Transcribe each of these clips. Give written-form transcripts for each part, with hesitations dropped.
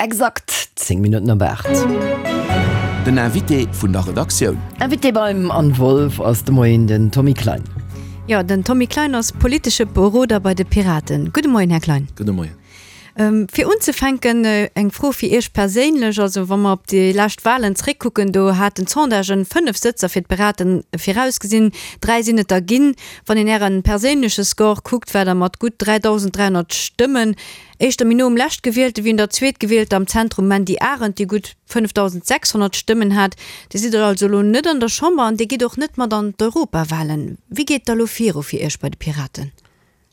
Exakt 10 Minutten op 8. Den Invité vun der Redaktioun. Invité beim Anne Wolff ass de Moien den Tommy Klein. Jo, den Tommy Klein ass politesche Beroder bei de Piraten. Gudde Moien, Här Klein. Gudde Moien. Fir unzefänken eng Fro fir Iech perséinlech. Also wa mer op déi lescht Wahlen zréckkucken, do haten d'Sondagen 5 Sëtzer fir d'Piraten virausgesinn, 3 sinn et der ginn. Wann een Äre perséinleche Score kuckt, war Der mat gutt 3.300 Stëmmen éischter méi no um Leschtgewielte wéi un der Zweetgewielter am Zentrum Mandy Arendt, déi gutt 5.600 Stëmmen hat. Dir sidd also elo net an der Chamber an Dir gitt och net mat an d'Europawahlen. Wéi geet et da lo viru fir Iech bei de Piraten?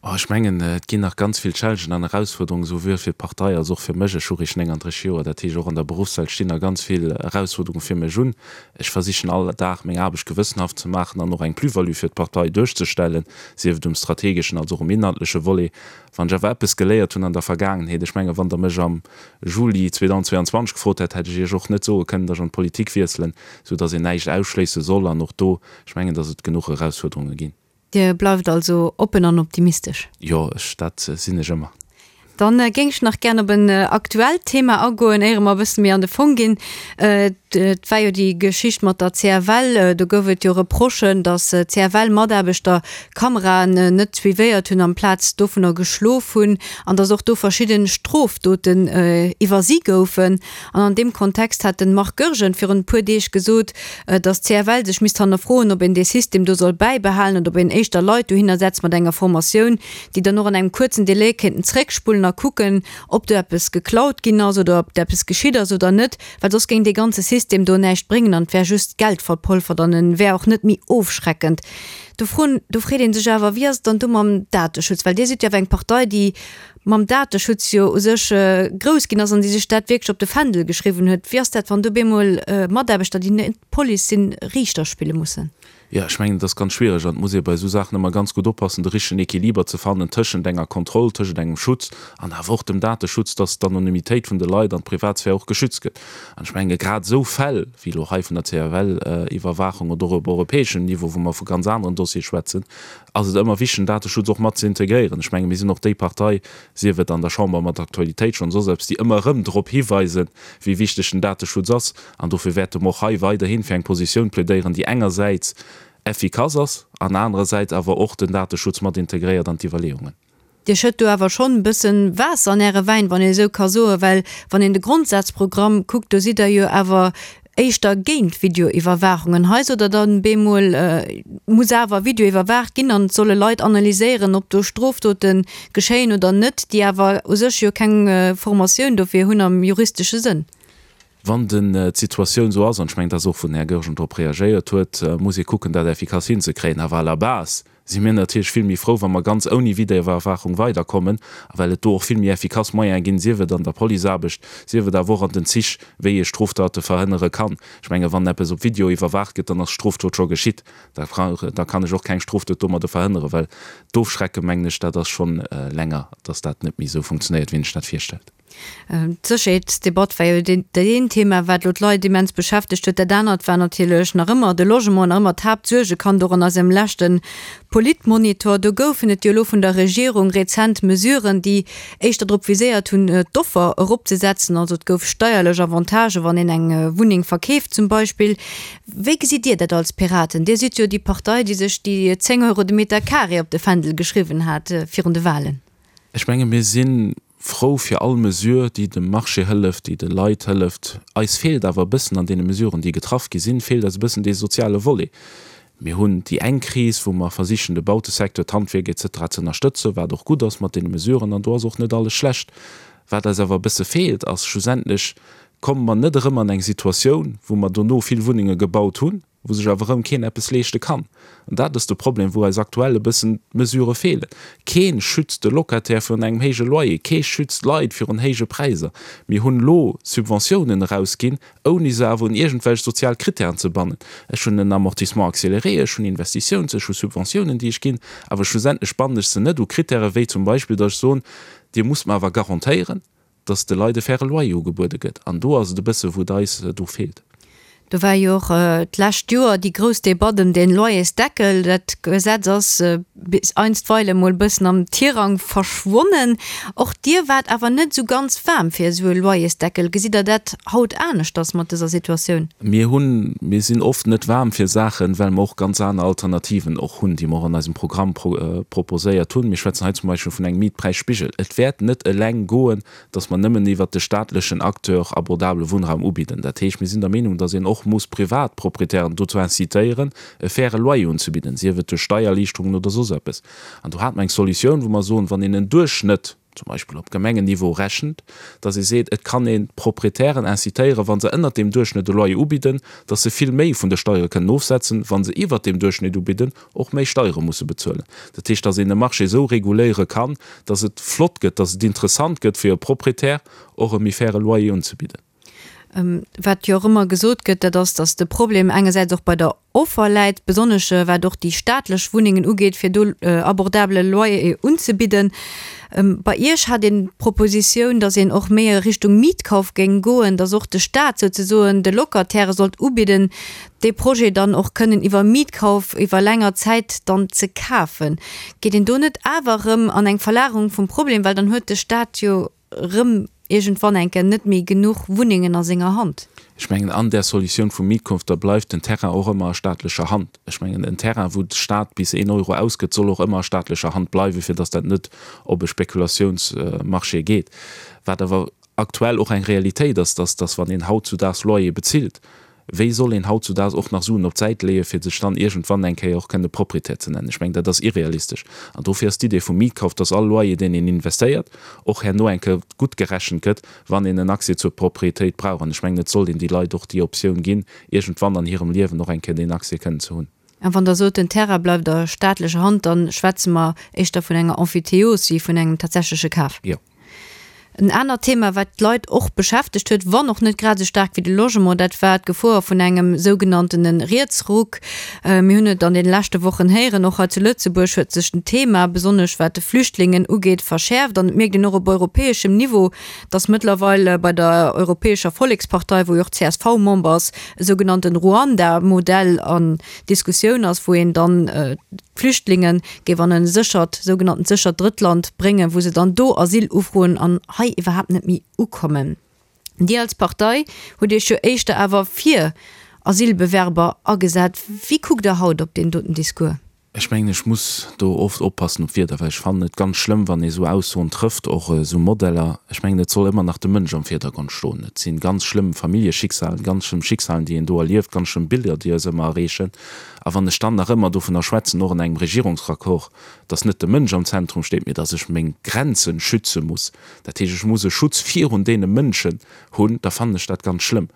Oh, ech mengen, et ginn nach ganz vill Challengen an Erausfuerderungen, souwuel fir d'Partei als och fir mech. Ech hu réischt 39 Joer, dat heescht och an der Beruffswelt stinn nach ganz vill Erausfuerderunge fir mech un. Ech versichen all Dag meng Aarbecht gewëssenhaft ze maachen an och eng Plus-value fir d'Partei duerchzestellen, sief et um strategeschen als och um inhaltleche Volet. Wann ech awer eppes geléiert hunn an der Vergaangenheet, ech mengen, wann Der mech am Juli 2022 gefrot hätt, hätt ech Iech och net soe kënnen, datt ech an d'Politik wiesselen, soudatt een näischt ausschléisse soll. An och do, ech mengen, datt et genuch Erausfuerderunge ginn. Dir bleift also oppen an optimistesch? Jo, ech, dat sinn ech ëmmer. Dann géing ech nach gären op en aktuellt Thema agoen, éiere mer e bësse méi an de Fong ginn. Et war jo déi Geschicht mat der CFL. Do gouf et jo Reprochen, datt CFL-Mataarbechter Kameraen net suivéiert hunn, amplaz dovunner geschlof hunn, an datt och do verschidde Strofdoten iwwersi goufen. An an deem Kontext hat de Marc Goergen virun e puer Deeg gesot, datt d'CFL sech misst hannerfroen, ob een dee System do soll bäibehalen oder ob een éischter Leit dohinner setzt mat enger Formatioun, déi dann och an engem kuerzen Delai kéinten zréckspullen a kucken, ob do eppes geklaut ginn ass oder ob eppes geschitt ass oder net, well soss géing dee ganze System do näischt bréngen an et wär just Geld verpolfert an e wär och net méi ofschreckend. Do froen, do freet ee sech awer, wéi ass et dann do mam Dateschutz? Well Dir sidd jo awer eng Partei, déi mam Dateschutz jo u sech grouss ginn ass an déi sech dat wierklech op de Fändel geschriwwen huet. Wéi ass dat, wann do bemol Mataarbechter, déi net d'Police sinn, Riichter spille mussen? Jo, ech mengen, et ass ganz schwiereg an et muss ee bei esou Saachen ëmmer ganz gutt oppassen, de richtegen Equiliber ze fannen tëschent enger Kontroll, tëschent engem Schutz an awer och dem Dateschutz, dass d'Anonymitéit vun de Leit an d'Privatsphär och geschützt gëtt. An ech menge grad esou Fäll wéi elo hei vun der CFL-Iwwerwaachung oder och op europäeschem Niveau, wou mer vu ganz aneren Dossiere schwätzen, ass et ëmmer wichteg, den Dateschutz och mat ze integréieren. Ech menge mir sinn och déi Partei, sief et an der Chamber mat Aktualitéit schonn, soss eppes, déi ëmmer erëm drop hiweisen, wéi wichteg den Dateschutz ass. An dofir wäerte mer och hei weiderhi fir eng Positioun plädéieren, déi engersäits effikass ass an anerersäits awer och den Dateschutz mat integréiert an d'Iwwerleeungen. Dir schëtt do awer schonn e bëssen Waasser an Äre Wäin, wann een esou ka soen, well wann een de Grondsazprogramm kuckt, do sidd Der jo awer éischter géint Videoiwwerwaachung. An hei sot Der dann bemol, et muss awer Video iwwerwaacht ginn an et solle Leit analyséieren, ob do Strofdote geschéien oder net, déi awer u sech jo keng Formatioun dofir hunn am juristesche Sënn. Wann den d'Situatioun esou ass, an ech mengen, dat ass och wou den Här Goergen drop reagéiert huet, muss ee kucken, dat effikass hinzekréien. Awer à la base si mir natierlech vill méi frou, wa mer ganz ouni Videoiwwerwaachung weiderkommen, a well et do och vill méi effikass Moyene ginn, sief et an der Policeaarbecht, sief et awer och an den Zich, wéi ee Stroftate verhënnere kann. Ech menge wann eppes op Video iwwerwaacht gëtt, dann ass d'Strofdot scho geschitt. Da da kann ech och keng Strofdot domadde verhënneren, well d'Ofschrecke mengen ech, dat ass schonn länger, dass dat net méi esou funktionéiert, wéi een sech dat virstellt. D'Sécherheetsdebatt war jo dat eent Thema, wat elo d'Leit immens beschäftegt huet. Dat anert war natierlech nach ëmmer de Logement, nach ëmmer d'Haaptsuergekand och an eisem leschte Politmonitor. Do goufen et jo elo vun der Regierung rezent Mesuren, déi éischter drop viséiert hunn, d'Offer eropzesetzen. Also et gouf steierlech Avantagen, wann een eng Wunneng verkeeft zum Beispill. Wéi gesitt Dir dat als Piraten? Dir sidd jo déi Partei, déi sech déi 10 Euro de Meter carré op de Fändel geschriwwen hat virun de Wahlen. Ech menge mir si frou fir all Mesure, déi dem Marché hëlleft, déi de Leit hëlleft. Eis feelt awer e bëssen an deene Mesuren, déi getraff gi sinn, feelt eis e bëssen dee soziale Volet. Mir hunn déi eng Kris, wou mer versichen, de Bautesecteur, d'Handwierk et cetera ze ënnerstëtzen, wat och gutt ass mat deene Mesuren, an do ass och net alles schlecht. Wat eis awer e bësse feelt, ass schlussendlech, komme mer net erëm an eng Situatioun, wou mer dono vill Wunnenge gebaut hunn, wou sech awer erëm keen eppes leeschte kann. An dat ass de Problem, wou eis aktuell e bëssen d'Mesurë feelen. Kee schützt de Locataire virun engem héije Loyer, kee schützt d'Leit virun héije Präisser. Mir hunn elo Subventiounen erausginn, ouni se awer un iergendwelch sozial Krittären ze bannen. Ech hunn en Amortissement accéléré, ech hunn Investitiouns-, ech hu Subventiounen, déi ech ginn, awer schlussendlech bannen ech se net u Krittäre wéi zum Beispill, datt ech soen, Dir musst mer awer garantéieren, dass de Leit e faire Loyer ugebuede gëtt. An do ass et e bësse wou et eis do feelt. Do war jo och d'lescht Joer déi grouss Debatt ëm den Loyersdeckel. Dat Gesetz ass bis einstweile mol e bëssen am Tirang verschwonnen. Och Dir waart awer net esou ganz waarm fir esou e Loyersdeckel. Gesitt Der dat haut aneschters mat dëser Situatioun? Mir hunn, mir sinn oft net waarm fir Saachen, well mer och ganz aner Alternativen och hunn, déi mer och an eisem Programm proposéiert hunn. Mir schwätzen hei zum Beispill vun engem Mietpräisspigel. Et wäert net eleng goen, dass mer nëmmen iwwert de staatlechen Acteur abordabele Wunnraum ubidden. Dat heescht, mir sinn der Meenung, dass een och muss privat Proprietären dozou incitéieren, e faire Loyer unzebidden, sief et duerch Steiererliichterungen oder soss eppes. An do hate mer eng Solutioun, wou mer soen, wann een en Duerchschnëtt, zum Beispill op Gemengenniveau rechent, dass ee seet, et kann een d'Proprietären incitéieren, wa se ënnert deem Duerchschnëtt e Loyer ubidden, dass se vill méi vun de Steiere kënnen ofsetzen, wa se iwwert deem Duerchschnitt ubidden, och méi Steiere musse bezuelen. Dat heescht, dass een e Marché esou reguléiere kann, dass et flott gëtt, dass et interessant gëtt fir e Proprietär och e méi faire Loyer unzebidden. Wat jo och ëmmer gesot gëtt, dat ass, dass de Problem engersäits och bei der Offer läit, besonnesch wat och déi staatlech Wunnengen ugeet, fir do abordabele Loyer unzebidden. Bei Iech hat een d'Propositioun, dass een och méi a Richtung Mietkauf géing goen, dass och de Staat souzesoen de Locatairë sollt ubidden, dee Projet dann och kënnen iwwer Mietkauf iwwer länger Zäit dann ze kafen. Geet een do net awer erëm an eng Verlagerung vum Problem, well dann huet de Staat jo erëm iergendwann eng Kéier net méi genuch Wunnengen a senger Hand? Ech mengen, an där Solutioun vum Mietkauf, da bleift den Terrain och ëmmer a staatlecher Hand. Ech mengen, en Terrain, wou de Staat bis een Euro ausgëtt, soll och ëmmer a staatlecher Hand bleiwen, fir datt dat net op e Spekulatiounsmarché geet. Wat awer aktuell och eng Realitéit ass, dass, dass wann een hautzudaags Loyer bezilt, wéi soll een hautzudaags och nach Suen op d'Säit leeën, fir sech dann iergendwann eng Kéier och kënne Proprietär ze nennen? Ech mengen, dat ass irrealistesch. An dofir ass d'Idee vum Mietkauf, dass all Loyer, deen een investéiert, och herno eng Kéier gutt gerechent gëtt, wann een en Accès zur Proprietéit brauch. An ech mengen, et sollt een déi Leit och déi Optioun ginn, iergendwann an hirem Liewen och eng Kéier deen Accès kënnen ze hunn. A wann Der sot, den Terrain bleift a staatlecher Hand, da schwätze mer éischter vun enger Emphytéose wéi vun engem tatsächleche Kaf. Jo. En anert Thema, wat d'Leit och beschäftegt huet, wann och net grad esou staark wéi de Logement, dat war d'Gefor vun engem sougenanntene Rietsruck. Mir hunn et an deene leschte Wochen héieren, och hei zu Lëtzebuerg huet sech den Thema, besonnesch wat de Flüchtlingen ugeet, verschäerft. An et mierkt een och op europäeschem Niveau, dass mëttlerweil bei der Europäescher Vollekspartei, wou jo och d'CSV Member ass, e sougenannten Ruanda-Modell an Diskussioun ass, wou een dann d'Flüchtlinge géif an e séchert, sougenanntent séchert Drëttland bréngen, wou se dann do Asyl ufroen an hei iwwerhaapt net méi ukommen. Dir als Partei hutt Iech jo éischter awer fir Asylbewerber agesat. Wéi kuckt Der haut op deen doten Discours? Ech mengen, ech muss do oft oppassen op d'Wierder, well ech fannen et ganz schlëmm, wann ee sou Aussoen trëfft, och esou Modeller. Ech mengen, et soll ëmmer nach de Mënsch am Virdergrond stoen. Et si ganz schlëmm Familljeschicksalen, ganz schlëmm Schicksalen, déi een do erlieft, ganz schlëmm Biller, déi eis ëmmer erreechen. A wann ech dann nach ëmmer dovunner schwätzen, och an engem Regierungsraccord, dass net de Mënsch am Zentrum steet, mee dass ech meng Grenzen schütze muss, dat heescht, ech muss e Schutz virun deene Mënschen hunn, da fannen ech dat ganz schlëmm.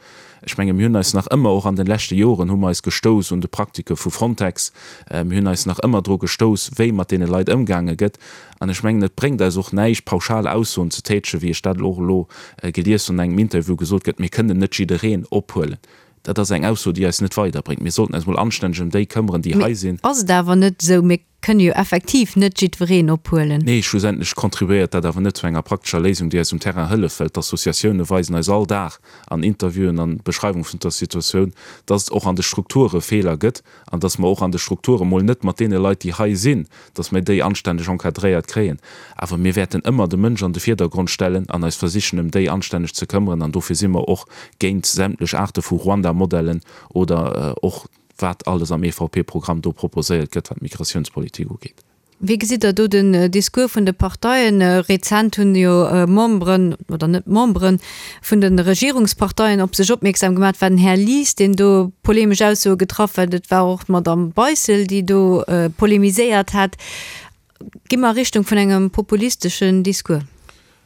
Ech menge mir hunn eis nach ëmmer, och an de leschte Joren hu mer eis gestouss un de Praktike vu Frontex, mir hunn eis nach ëmmer dru gestouss, wéi mat deene Leit ëmgaange gëtt. An ech mengen, et bréngt eis och näischt, pauschal Aussoen ze tätegen, wéi ech dat elo och elo gelies hunn an engem Interview gesot gëtt, mir kënnen net jiddereen ophuelen. Dat ass eng Ausso, déi eis net weiderbréngt. Mir sollten eis mol anstänneg ëm déi këmmeren, déi hei sinn. Mee ass et awer net esou, mir kënne jo effektiv net jiddwereen ophuelen. Nee, schlussendlech contribuéiert dat awer net zu enger praktescher Léisung, déi eis um Terrain hëlleft, well d'Associatioune weisen eis all Dag an Interviewen an Beschreiwung vun der Situatioun, dass et och an de Strukture Feeler gëtt an dass mer och an de Strukture mol net mat deene Leit, déi hei sinn, dass mir déi anstänneg encadréiert kréien. Awer mir wäerten ëmmer de Mënsch an de Virdergrond stellen an eis versichen, ëm déi anstänneg ze këmmeren. An dofir si mer och géint sämtlech Aarte vu Ruanda-Modellen oder och wat alles am EVP-Programm do proposéiert gëtt, wat d'Migratiounspolitik ugeet. Wéi gesitt Der do den Discours vun de Parteien? Rezent hunn jo Memberen, oder net Memberen, vun de Regierungsparteien op sech opmierksam gemaach. Et war den Här Lies, deen do polemesch Aussoe getraff huet. Et war och d'Madamm Beissel, déi do polemiséiert hat. Gi mer a Richtung vun engem populisteschen Discours?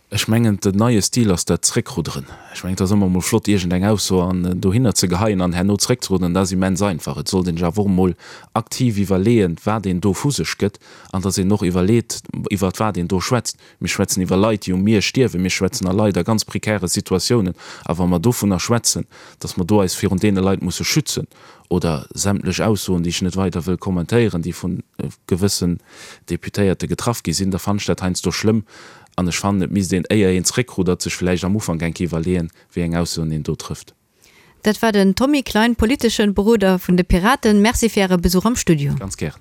Ech mengen, den neie Stil ass dat Zréckrudderen. Ech mengen, et ass ëmmer emol flott, iergendeng Ausso an dohinner ze geheien an herno zréckzerudderen. Dat ass immens einfach. Et sollt een sech awer och emol aktiv iwwerleeën, wat een do vu sech gëtt an datt een och iwwerleet, iwwert wat een do schwätzt. Mir schwätzen iwwer Leit, déi um Mier stierwen. Mir schwätzen a Leit a ganz prekäre Situatiounen. A wa mer dovunner schwätzen, datt mer do eis virun deene Leit musse schützen, oder sämtlech Aussoen, déi ech net weider wëll kommentéieren, déi vu gewëssen Deputéierte getraff gi sinn, da fannen ech dat heiansdo schlëmm. An ech fannen, et misst een, éier een zréckruddert, sech vläicht am Ufank eng Kéier iwwerleeën, wéi eng Aussoen een do trëfft. Dat war den Tommy Klein, politeschen Beroder vun de Piraten. Merci fir Äre Besuch am Studio. Ganz gären.